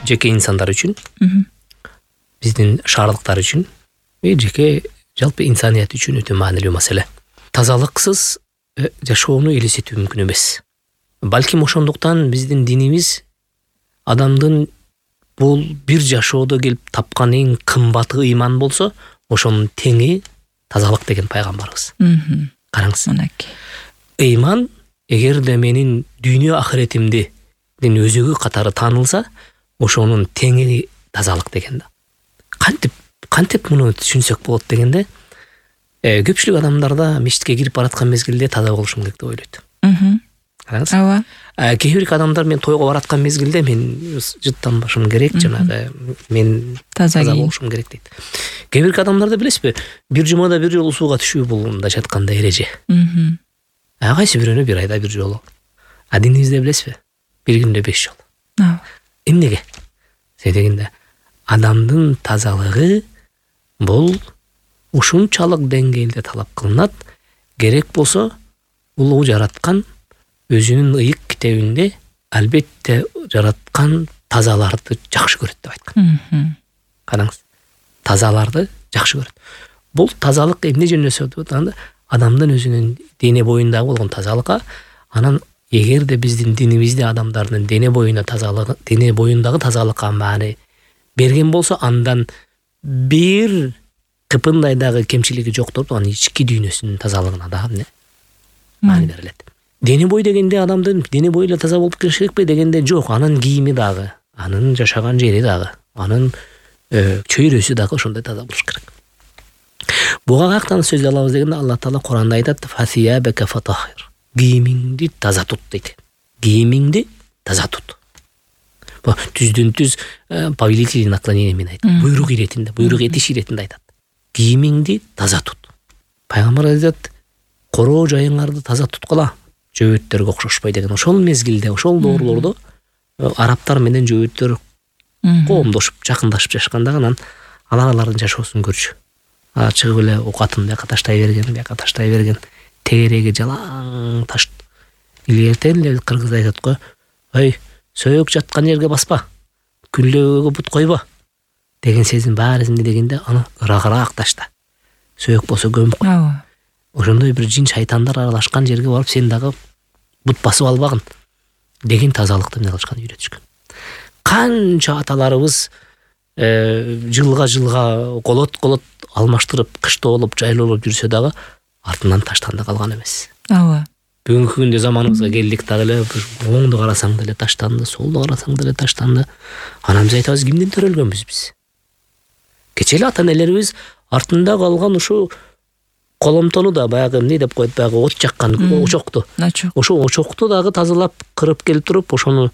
жеке инсандар үчүн, биздин шаардыктар үчүн, жеке жалпы инсаният үчүн өтө маанилүү маселе. Тазалыксыз жашоону элестетүү мүмкүн эмес. Балким ошондуктан биздин динибиз адамдын бул бир жашоодо келип тапкан эң кымбаты ыйман болсо, ошонун теңи тазалык деген пайгамбарыбыз. Караңыз. Ыйман эгерде менин дүйнө ахиретимдин өзөгү катары таанылса, ошонун теңи тазалык деген да. Кантип муну түшүнсөк болот дегенде, көпчүлүк адамдарда мечитке кирип бараткан мезгилде таза болушум керек деп ойлойт. Караңыз. Ооба. Кээ бир адамдар мен тойго бараткан мезгилде мен жыттанбашым керек, жанагы мен таза болушум керек дейт. Кээ бир адамдарда билесизби, бир жумада бир жолу сууга түшүү бул мындайча айтканда эреже. Кайсы бирөөнө бир айда бир жолу. Динибизде билесизби, бир күндө 5 жолу. Эмнеге? Себебинде адамдын тазалыгы бул ушунчалык деңгээлде талап кылынат. Керек болсо, улуу жараткан өзүнүн ыйык китебинде албетте жараткан тазаларды жакшы көрөт деп айткан. Караңыз, тазаларды жакшы көрөт. Бул тазалык эмне жөнүндө сөйлөп адамдын өзүнүн дене боюндагы болгон тазалыкка, анан эгерде биздин динибизде адамдардын дене боюндагы тазалыкка маани берген болсо, андан бир кыпындай дагы кемчилиги жоктур, анын ички дүйнөсүнүн тазалыгына дагы маани берилет. Дене бой дегенде адамдын дене бою эле таза болуп келиш керекпи дегенде жок, анын кийими дагы, анын жашаган жери дагы, анын чөйрөсү дагы ошондой таза болуш керек. Буга каяктан сөз алабыз дегенде, Алла Таала Куранда айтат: "Фасиябака фатахир". Кийимиңди таза тут дейт. Кийимиңди таза тут. Бу түздөн түз повелительный наклонение мен айтат. Буйрук этиш иретинде айтат. Кийимиңди таза тут. Пайгамбар айтат: "Короо жайыңарды таза туткула, жөөттөргө окшошпой" деген. Ошол мезгилде, ошол доорлордо арабтар менен жөөттөр коомдошуп, жакындашып жашканда, анан алардын жашоосун көрчү. Чыгып эле окатын бияка таштай берген, тегереги жалаң таш. Илгертен эле кыргыз айтат го: "Ой, сөйөк жаткан жерге баспа, күлдөөгө бут койбо" деген сезим бар эсимде дегенде, аны ырагыраак ташта. Сөйөк болсо көмүп кой. Ошондой бир жин шайтандар аралашкан жерге барып сен дагы бут басып албагын деген тазалыкты эмне кылышкан, үйрөтүшкөн. Канча аталарыбыз жылга колот алмаштырып, кышта болуп, жайлуу болуп жүрсө дагы артынан таштанды калган эмес. Бүгүнкү күндө заманыбызга келдик дагы эле, оңду карасаң деле таштанды, солду карасаң деле таштанды. Анан биз айтабыз, кимден төрөлгөнбүз биз? Кече эле ата-энелерибиз артында калган ушу коломтону да баягы эмне деп коет, баягы от жаккан очокту. Ошо очокту дагы тазалап, кырып келип туруп, ошону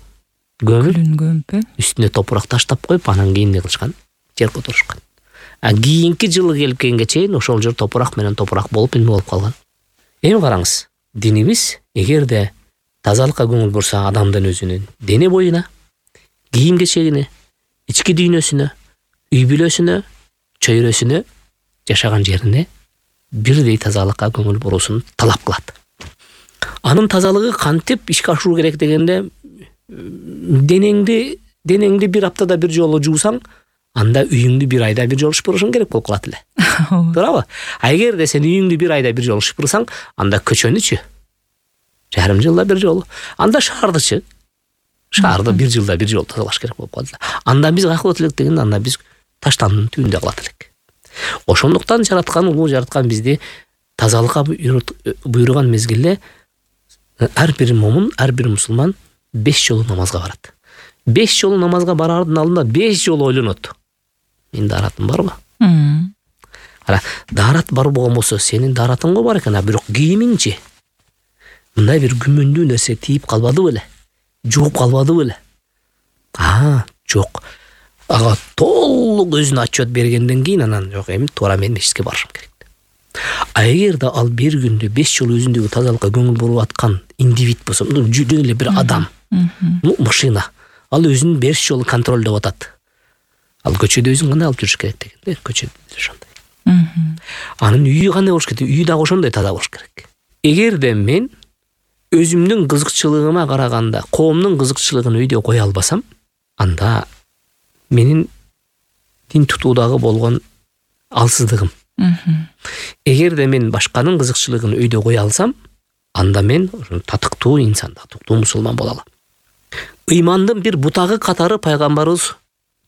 көмүп, үстүнө топурак таштап коюп, анан кийин эмне кылышкан? Жер которушкан. Кийинки жылы келип келгенге чейин ошол жер топурак менен топурак болуп эме болуп калган. Эми караңыз, динибиз эгерде тазалыкка көңүл бурса, адамдын өзүнүн дене боюна, кийим кечегине, ички дүйнөсүнө, үй бүлөсүнө, чөйрөсүнө, жашаган жерине бирдей тазалыкка көңүл буруусун талап кылат. Анын тазалыгы кантип ишке ашыруу керек дегенде, денеңди бир аптада бир жолу жуусаң, анда үйүңдү бир айда бир жолу шыпырышың керек болуп калат эле. Туурабы? Эгерде сен үйүңдү бир айда бир жолу шыпырсаң, анда көчөнүчү жарым жылда бир жолу, анда шаардычы шаарды бир жылда бир жолу тазалаш керек болуп калат эле. Анда биз каяка болот элек дегенде, анда биз таштандын түбүндө калат элек. Ошондуктан жараткан, улуу жараткан бизди тазалыкка буйруган мезгилде ар бир момун, ар бир мусулман 5 жолу намазга барат. 5 жолу намазга барардын алдында 5 жолу ойлонот. Мен даратым барбы? Дарат бар болгон болсо, сенин даратыңго бар экен, бирок кийимиңчи мындай бир күмөндүү нерсе тийип калбады беле? Жууп калбады беле? Жок. Ага толук өзүнө отчет бергенден кийин анан жок, эми туура мен мечитке барышым керек. Эгерде ал бир күндө 5 жолу өзүндөгү тазалыкка көңүл буруп аткан индивид болсо, жөн эле бир адам, машина, ал өзүн 5 жолу контролдоп атат. Ал көчөдө өзүн кандай алып жүрүш керек дегенде, көчөдө ошондой. Анын үйү кандай болуш керек? Үйү дагы ошондой таза болуш керек. Эгерде мен өзүмдүн кызыкчылыгыма караганда коомдун кызыкчылыгын үйдө кое албасам, анда менин дин тутуудагы болгон алсыздыгым. Эгерде мен башканын кызыкчылыгын өйдө кое алсам, анда мен татыктуу инсан, татыктуу мусулман боло алам. Ыймандын бир бутагы катары пайгамбарыбыз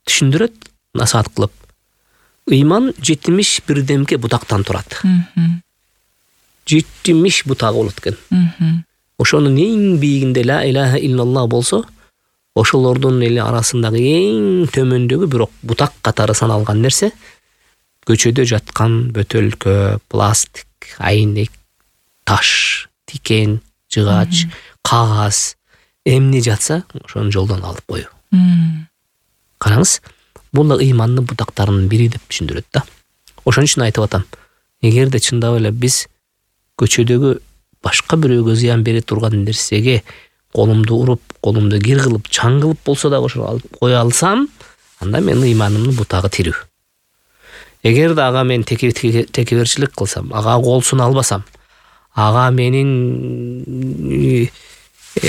түшүндүрөт, насаат кылып. Ыйман 71 демке бутактан турат. 70 бутагы болот экен. Ошонун эң бийигинде ла илаха иллаллах болсо, ошолордун эле арасындагы эң төмөндөгү бирок бутак катары саналган нерсе көчөдө жаткан бөтөлкө, пластик, айнек, таш, тикен, жыгач, кагаз эмне жатса, ошону жолдон алып коюу. Караңыз, бул да ыймандын бутактарынын бири деп түшүндүрөт да. Ошон үчүн айтып атам, эгерде чындап эле биз көчөдөгү башка бирөөгө зыян бере турган нерсеге колумду уруп, колумду кир кылып, чаң кылып болсо да ошо алып кое алсам, анда менин ыйманымдын бутагы тирүү. Эгерде ага мен текеберчилик кылсам, ага кол суна албасам, ага менин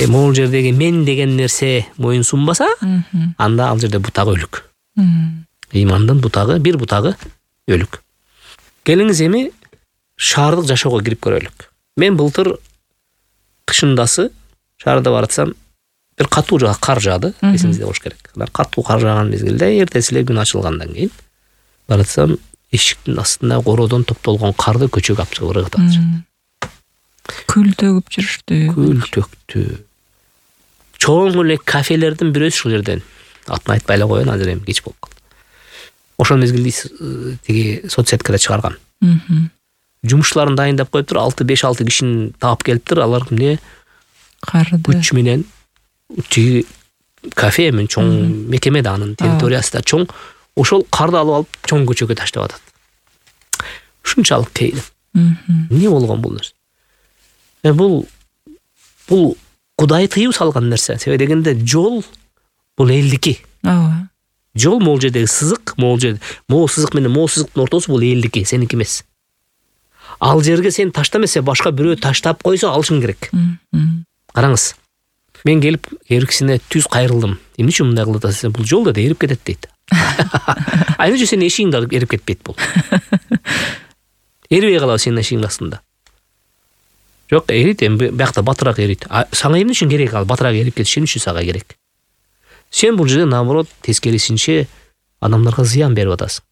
могул жердеги мен деген нерсе моюн сунбаса, анда ал жерде бутагы өлүк. Ыймандын бутагы, бир бутагы өлүк. Келиңиз эми шаардык жашоого кирип көрөлүк. Мен былтыр кышындасы шаарда баратсам, бир катуу кар жаады, эсиңизде болуш керек. Катуу кар жааган мезгилде эртеси эле күн ачылгандан кийин баратсам, эшиктин астында кородон топтолгон карды көчөгө алып чыгып ыргытып атышат. Күл төгүп жүрүштү. Күл төктү. Чоң эле кафелердин бирөөсү ушул жерден. Атын айтпай эле коеюн, азыр эми кеч болуп калды. Ошол мезгилде тиги соцсеткада чыгарган. Жумушчуларын дайындап коюптур, 5-6 кишини таап келиптир, алар эмне карды күч менен тиги кафе мен чоң мекеме да анын территориясы да чоң, ошол карды алып чоң көчөгө таштап атат. Ушунчалык кейдим. Эмне болгон бул нерсе? Бул Кудай тыюу салган нерсе. Себеби дегенде жол бул элдики. Жол могул жердеги сызык, могул сызык менен могул сызыктын ортосу бул элдики, сеники эмес. Ал жерге сен таштамаса, башка бирөө таштап койсо алышың керек. Караңыз. Мен келип эркисине түз кайрылдым. Эмне үчүн мындай кылып атасыз? Бул жол да эрип кетет дейт. Айныча сенин эшигиңди эрип кетпейт бул. Эрибей калабы сенин эшигиңдин астында? Жок, эрит, эми биякта батыраак эрит. Сага эмне үчүн керек ал батыраак эрип кетиш үчүн сага керек? Сен бул жерде наоборот тескерисинче адамдарга зыян берип атасың.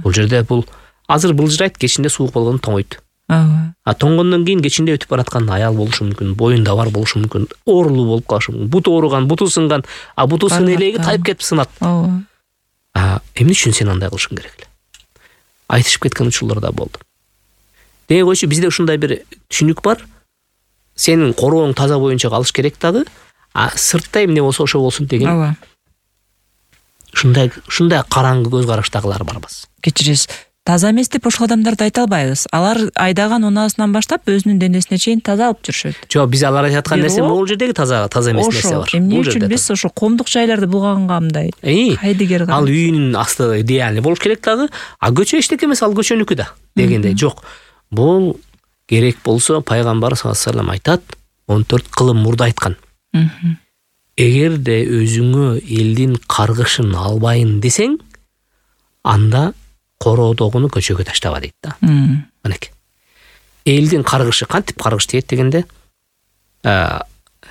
Бул жерде бул азыр былжырайт, кечинде суук болгондо тоңойт. Тоңгондон кийин кечинде өтүп бараткан аял болушу мүмкүн, боюнда бар болушу мүмкүн, оорулуу болуп калышы мүмкүн, буту ооруган, буту сынган, буту сын элеги тайып кетип сынат. Эмне үчүн сен андай кылышың керек эле? Айтышып кеткен учурлар да болду. Деге койчу, бизде ушундай бир түшүнүк бар. Сенин корооң таза боюнча калыш керек дагы, сыртта эмне болсо ошо болсун деген. Ушундай караңгы көз караштагылар барбыз. Кечиресиз. Таза эмес деп ошол адамдарды айта албайбыз. Алар айдаган унаасынан баштап өзүнүн денесине чейин таза алып жүрүшөт. Жок, биз алар айтып аткан нерсе могул жердеги таза эмес нерсе бар. Эмне үчүн биз ошо коомдук жайларды булганга мындай кайдыгер ал үйүнүн асты идеальный болуш керек дагы, көчө эчтеке эмес, ал көчөнүкү да дегенде. Жок, бул керек болсо пайгамбар саллаллаху алейхи ва саллям айтат, 14 кылым мурда айткан. Эгерде өзүңө элдин каргышын албайын десең, анда короодогуну көчөгө таштаба дейт да. Манеки. Элдин каргышы кантип каргыш тиет дегенде,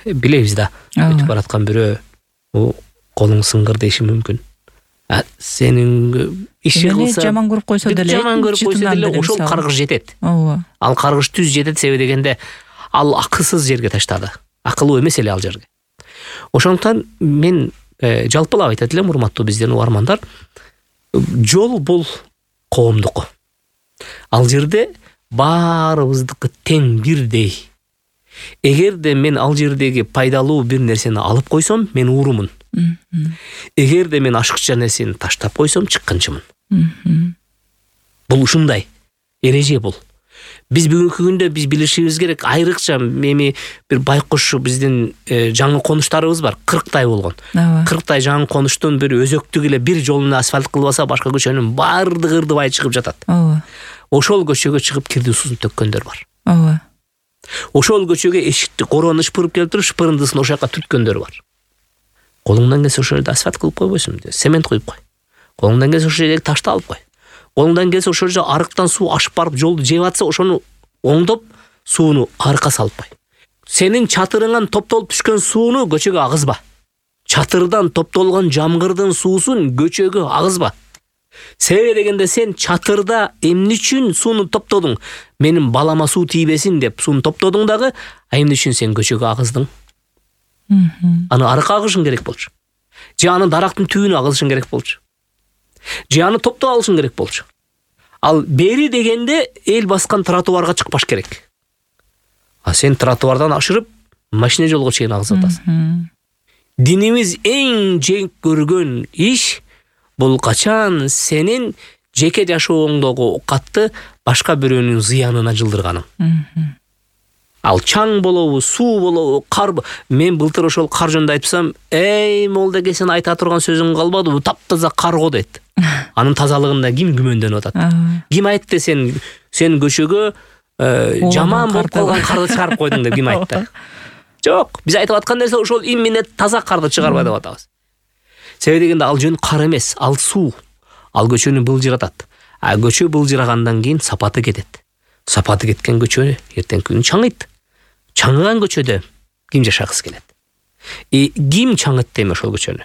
билебиз да, өтүп бараткан бирөө колуң сыңгыр деши мүмкүн. Сенин иши кылса, жаман көрүп койсо деле, ошол каргыш жетет. Ал каргыш түз жетет, себеби дегенде ал акылсыз жерге таштады. Акылуу эмес эле ал жерге. Ошондуктан мен жалпылап айтат элем, урматтуу биздин угармандар, жол бул коомдуку. Ал жерде баарыбыздыкы тең бирдей. Эгерде мен ал жердеги пайдалуу бир нерсени алып койсом, мен уурумун. Эгерде мен ашыкча нерсени таштап койсом, чыккынчымын. Бул ушундай эреже бул. Биз бүгүнкү күндө биз билишибиз керек, айрыкча эми бир байкуш биздин жаңы конуштарыбыз бар, 40 болгон. 40 жаңы конуштун бир өзөктүк эле бир жолуна асфальт кылбаса, башка көчөнүн баардыгы ырдыбай чыгып жатат. Ошол көчөгө чыгып кирди суун төккөндөр бар. Ошол көчөгө эшикти короону шыпырып келип туруп, шыпырындысын ошол жака түткөндөр бар. Колуңдан келсе ошол жерде асфальт кылып койбойсуң, цемент куюп кой. Колуңдан келсе ошол жердеги ташты алып кой. Колуңдан келсе ошол жерде арыктан суу ашып барып жолду жеп атса, ошону оңдоп сууну арыкка салып кой. Сенин чатырыңан топтолуп түшкөн сууну көчөгө агызба. Чатырдан топтолгон жамгырдын суусун көчөгө агызба. Себеби дегенде сен чатырда эмне үчүн сууну топтодуң? Менин балама суу тийбесин деп сууну топтодуң дагы, а эмне үчүн сен көчөгө агыздың? Аны арыкка агышың керек болчу. Же аны дарактын түбүнө агызышың керек болчу. Же аны топтоп алышың керек болчу. Ал бери дегенде эл баскан тротуарга чыкпаш керек. А сен тротуардан ашырып машина жолго чейин агызып атасың. Динибиз эң жек көргөн иш бул качан сенин жеке жашооңдогу катты башка бирөөнүн зыянына жылдырганың. Ал чаң болобу, суу болобу, кар. Мен былтыр ошол кар жөнүндө айтсам, молдеке сен айта турган сөзүң калбады, бу таптаза карго дейт. Анын тазалыгында ким күмөндөр атат? Ким айтты сен көчөгө жаман болуп калган карды чыгарып койдуң деп ким айтты? Жок, биз айтып аткан нерсе ошол именно таза карды чыгарбай деп атабыз. Себеби дегенде ал жөн кар эмес, ал суу. Ал көчөнү былжыратат. А көчө былжырагандан кийин сапаты кетет. Сапаты кеткен көчө эртең күнү чаңыйт. Чаңыган көчөдө ким жашагысы келет? Ким чаңытты эми ошол көчөнү?